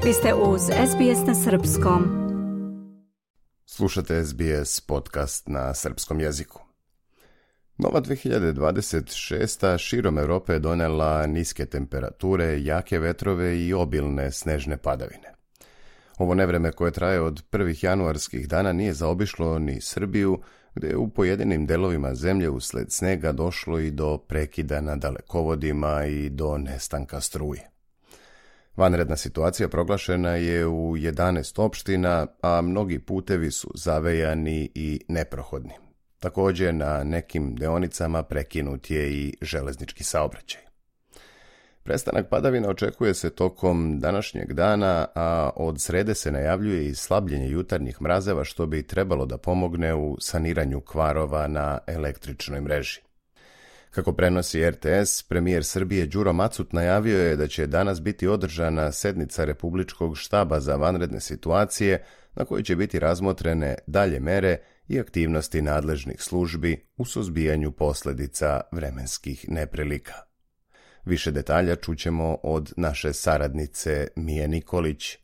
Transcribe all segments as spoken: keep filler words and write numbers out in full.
Vi ste uz S B S na srpskom. Slušate S B S podcast na srpskom jeziku. Nova dve hiljade dvadeset šesta širom Europe je donela niske temperature, jake vetrove i obilne snežne padavine. Ovo nevreme koje traje od prvih januarskih dana nije zaobišlo ni Srbiju, gdje je u pojedinim delovima zemlje usled snega došlo i do prekida na dalekovodima i do nestanka struje. Vanredna situacija proglašena je u jedanaest opština, a mnogi putevi su zavejani i neprohodni. Također na nekim deonicama prekinut je i železnički saobraćaj. Prestanak padavina očekuje se tokom današnjeg dana, a od srede se najavljuje i slabljenje jutarnjih mrazeva, što bi trebalo da pomogne u saniranju kvarova na električnoj mreži. Kako prenosi R T S, premijer Srbije Đuro Macut najavio je da će danas biti održana sednica Republičkog štaba za vanredne situacije, na kojoj će biti razmotrene dalje mere i aktivnosti nadležnih službi u suzbijanju posljedica vremenskih neprilika. Više detalja čućemo od naše saradnice Mije Nikolić.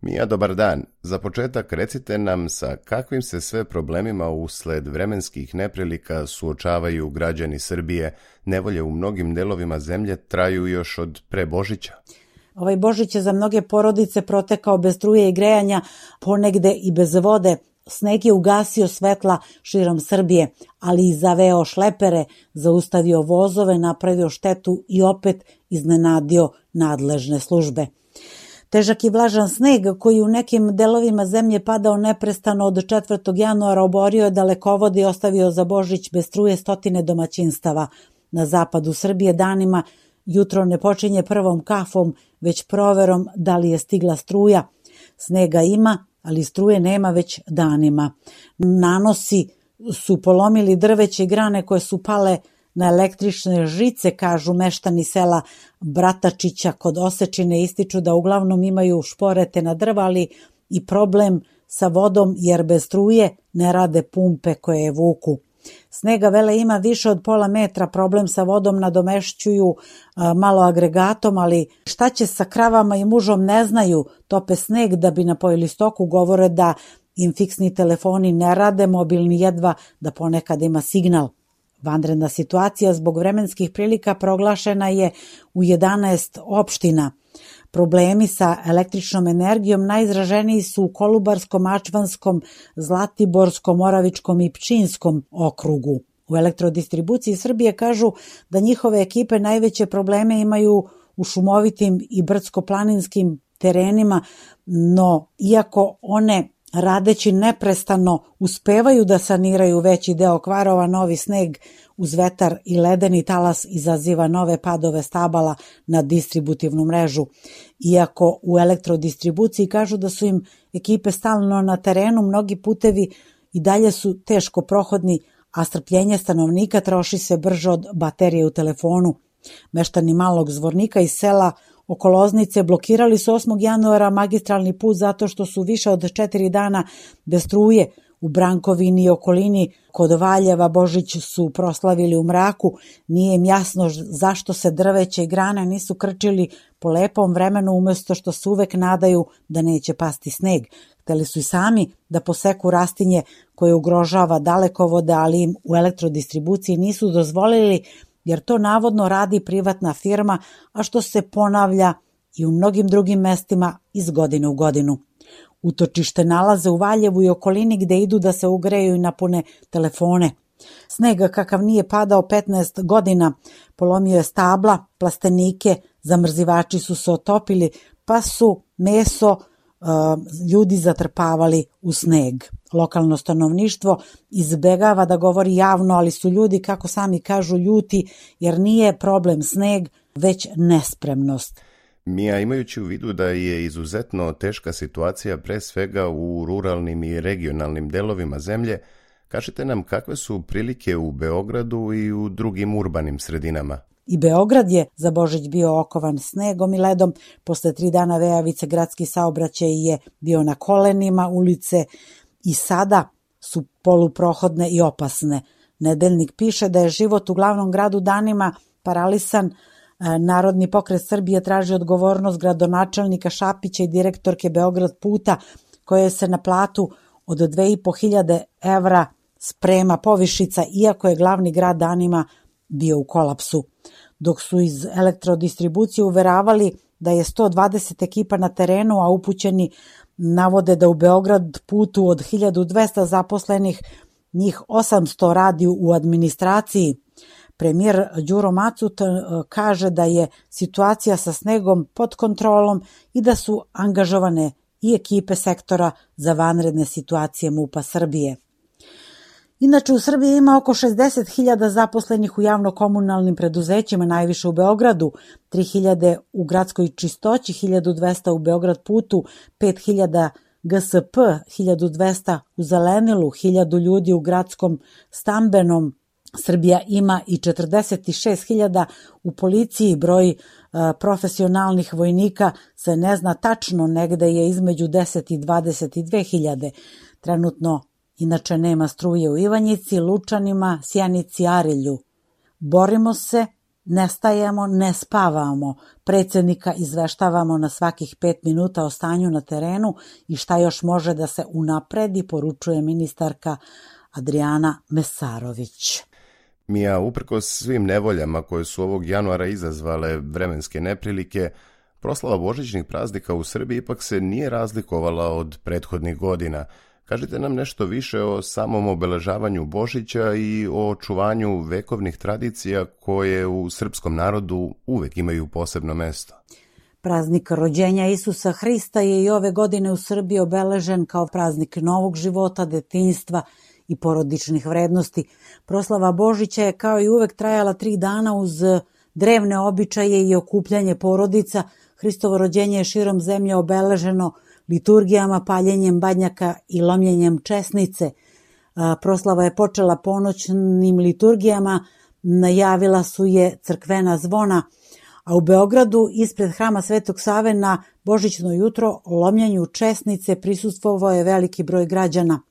Mija, dobar dan. Za početak recite nam sa kakvim se sve problemima usled vremenskih neprilika suočavaju građani Srbije. Nevolje u mnogim delovima zemlje traju još od pre Božića. Ovaj Božić je za mnoge porodice protekao bez struje i grejanja, ponegde i bez vode. Sneg je ugasio svetla širom Srbije, ali i zaveo šlepere, zaustavio vozove, napravio štetu i opet iznenadio nadležne službe. Težak i vlažan sneg koji u nekim delovima zemlje padao neprestano od četvrtog januara oborio je dalekovode i ostavio za Božić bez struje stotine domaćinstava. Na zapadu Srbije danima jutro ne počinje prvom kafom, već proverom da li je stigla struja. Snega ima, ali struje nema već danima. Nanosi su polomili drveće i grane koje su pale na električne žice, kažu meštani sela Bratačića kod Osečine, ističu da uglavnom imaju šporete na drva, ali i problem sa vodom jer bez struje ne rade pumpe koje je vuku. Snega vele ima više od pola metra, problem sa vodom nadomešćuju a, malo agregatom, ali šta će sa kravama i mužom ne znaju, tope sneg da bi napojili stoku, govore da im fiksni telefoni ne rade, mobilni jedva da ponekad ima signal. Vanredna situacija zbog vremenskih prilika proglašena je u jedanaest opština. Problemi sa električnom energijom najizraženiji su u Kolubarskom, Mačvanskom, Zlatiborskom, Moravičkom i Pčinjskom okrugu. U elektrodistribuciji Srbije kažu da njihove ekipe najveće probleme imaju u šumovitim i brdsko-planinskim terenima, no iako one radeći neprestano uspevaju da saniraju veći deo kvarova, novi sneg uz vetar i ledeni talas izaziva nove padove stabala na distributivnu mrežu. Iako u elektrodistribuciji kažu da su im ekipe stalno na terenu, mnogi putevi i dalje su teško prohodni, a strpljenje stanovnika troši se brže od baterije u telefonu. Meštani Malog Zvornika iz sela oko Loznice blokirali su osmog januara magistralni put zato što su više od četiri dana bez struje. U Brankovini i okolini kod Valjeva Božić su proslavili u mraku. Nije im jasno zašto se drveće i grane nisu krčili po lepom vremenu umjesto što se uvek nadaju da neće pasti sneg. Hteli su i sami da poseku rastinje koje ugrožava dalekovode, ali im u elektrodistribuciji nisu dozvolili jer to navodno radi privatna firma, a što se ponavlja i u mnogim drugim mestima iz godine u godinu. Utočište nalaze u Valjevu i okolini gde idu da se ugreju i napune telefone. Snega kakav nije padao petnaest godina, polomio je stabla, plastenike, zamrzivači su se otopili, pa su meso uh, ljudi zatrpavali u sneg. Lokalno stanovništvo izbegava da govori javno, ali su ljudi, kako sami kažu, ljuti jer nije problem sneg, već nespremnost. Mija, imajući u vidu da je izuzetno teška situacija pre svega u ruralnim i regionalnim delovima zemlje, kažite nam kakve su prilike u Beogradu i u drugim urbanim sredinama? I Beograd je za Božić bio okovan snegom i ledom. Posle tri dana vejavice gradski saobraćaj je bio na kolenima, ulice i sada su poluprohodne i opasne. Nedeljnik piše da je život u glavnom gradu danima paralisan, Narodni pokret Srbije traži odgovornost gradonačelnika Šapića i direktorke Beograd puta, koje se na platu od dve i po hiljade evra sprema povišica, iako je glavni grad danima bio u kolapsu. Dok su iz elektrodistribucije uveravali da je sto dvadeset ekipa na terenu, a upućeni navode da u Beograd putu od hiljadu dvesta zaposlenih njih osamsto radi u administraciji. Premijer Đuro Macut kaže da je situacija sa snegom pod kontrolom i da su angažovane i ekipe sektora za vanredne situacije MUP-a Srbije. Inače, u Srbiji ima oko šezdeset hiljada zaposlenih u javno-komunalnim preduzećima, najviše u Beogradu, tri hiljade u gradskoj čistoći, hiljadu dvesta u Beograd putu, pet hiljada G S P, hiljadu dvesta u zelenilu, hiljadu ljudi u gradskom stambenom. Srbija ima i četrdeset šest hiljada u policiji, broj e, profesionalnih vojnika se ne zna tačno, negde je između deset i dvadeset dve hiljade. Trenutno inače nema struje u Ivanjici, Lučanima, Sjenici, Arilju. Borimo se, ne stajemo, ne spavamo. Predsjednika izveštavamo na svakih pet minuta o stanju na terenu i šta još može da se unapredi, poručuje ministarka Adrijana Mesarović. Mija, uprkos svim nevoljama koje su ovog januara izazvale vremenske neprilike, proslava božićnih praznika u Srbiji ipak se nije razlikovala od prethodnih godina. Kažite nam nešto više o samom obeležavanju Božića i o očuvanju vekovnih tradicija koje u srpskom narodu uvek imaju posebno mesto. Praznik rođenja Isusa Hrista je i ove godine u Srbiji obeležen kao praznik novog života, detinjstva i porodičnih vrednosti. Proslava Božića je kao i uvek trajala tri dana uz drevne običaje i okupljanje porodica. Hristovo rođenje je širom zemlje obeleženo liturgijama, paljenjem badnjaka i lomljenjem česnice. Proslava je počela ponoćnim liturgijama, najavila su je crkvena zvona, a u Beogradu ispred hrama Svetog Save na božićno jutro lomljenju česnice prisustvovao je veliki broj građana.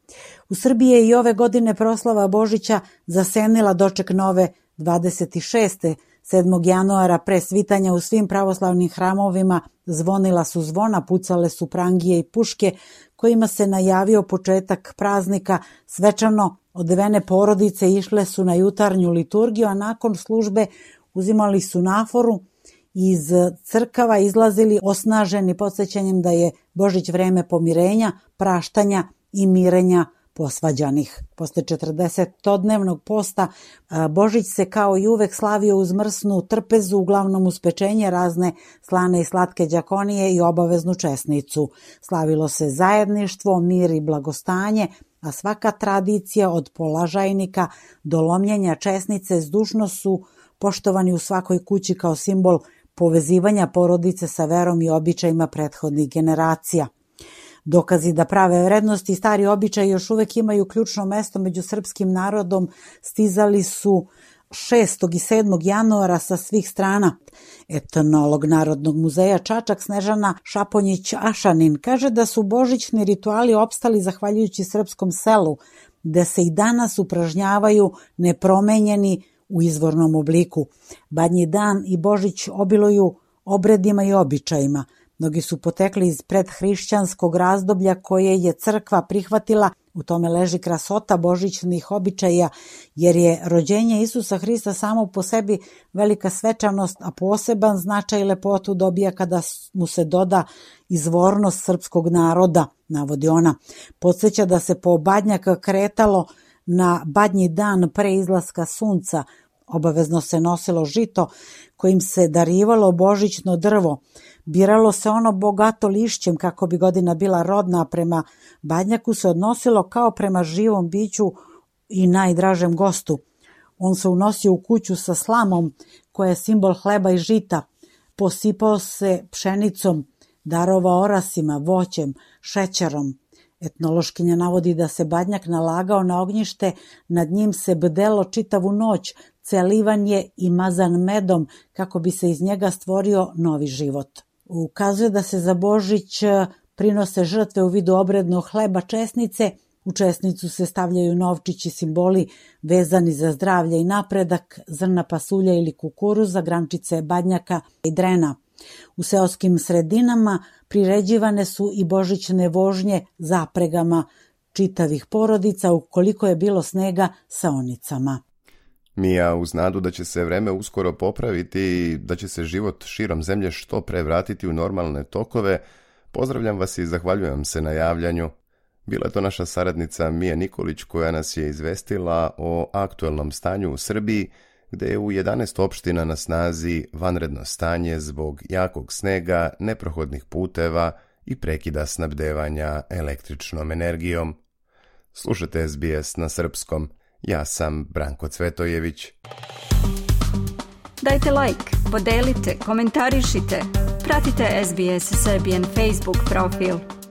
U Srbiji je i ove godine proslava Božića zasenila doček nove dvadeset šeste. sedmog januara pre svitanja u svim pravoslavnim hramovima zvonila su zvona, pucale su prangije i puške kojima se najavio početak praznika. Svečano odevene porodice išle su na jutarnju liturgiju, a nakon službe uzimali su naforu i iz crkava izlazili osnaženi podsjećanjem da je Božić vreme pomirenja, praštanja i mirenja posvađanih. Posle četrdesetodnevnog posta Božić se kao i uvek slavio uz mrsnu trpezu, uglavnom uz pečenje, razne slane i slatke đakonije i obaveznu česnicu. Slavilo se zajedništvo, mir i blagostanje, a svaka tradicija od polažajnika do lomljenja česnice zdušno su poštovani u svakoj kući kao simbol povezivanja porodice sa verom i običajima prethodnih generacija. Dokazi da prave vrednosti i stari običaji još uvek imaju ključno mesto među srpskim narodom stizali su šestog i sedmog januara sa svih strana. Etnolog Narodnog muzeja Čačak Snežana Šaponjić-Ašanin kaže da su božićni rituali opstali zahvaljujući srpskom selu, gde se i danas upražnjavaju nepromenjeni u izvornom obliku. Badnji dan i Božić obiluju obredima i običajima. Mnogi su potekli iz predhrišćanskog razdoblja koje je crkva prihvatila. U tome leži krasota božićnih običaja, jer je rođenje Isusa Hrista samo po sebi velika svečanost, a poseban značaj i lepotu dobija kada mu se doda izvornost srpskog naroda, navodi ona. Podsjeća da se po badnjak kretalo na badnji dan pre izlaska sunca. Obavezno se nosilo žito kojim se darivalo božićno drvo. Biralo se ono bogato lišćem kako bi godina bila rodna, a prema badnjaku se odnosilo kao prema živom biću i najdražem gostu. On se unosio u kuću sa slamom koja je simbol hleba i žita. Posipao se pšenicom, darovao orasima, voćem, šećerom. Etnološkinja navodi da se badnjak nalagao na ognjište, nad njim se bdelo čitavu noć, celivan je i mazan medom kako bi se iz njega stvorio novi život. Ukazuje da se za Božić prinose žrtve u vidu obrednog hleba česnice U česnicu se stavljaju novčići, simboli vezani za zdravlje i napredak, zrna pasulja ili kukuruza, grančice badnjaka i drena. U seoskim sredinama priređivane su i božićne vožnje zapregama čitavih porodica ukoliko je bilo snega sa onicama. Mija, uz nadu da će se vreme uskoro popraviti i da će se život širom zemlje što pre vratiti u normalne tokove, pozdravljam vas i zahvaljujem se na javljanju. Bila je to naša saradnica Mija Nikolić koja nas je izvestila o aktuelnom stanju u Srbiji, gde je u jedanaest opština na snazi vanredno stanje zbog jakog snega, neprohodnih puteva i prekida snabdevanja električnom energijom. Slušajte S B S na srpskom. Ja sam Branko Cvetojević. Dajte like, podelite, komentarišite. Pratite S B S Serbian Facebook profil.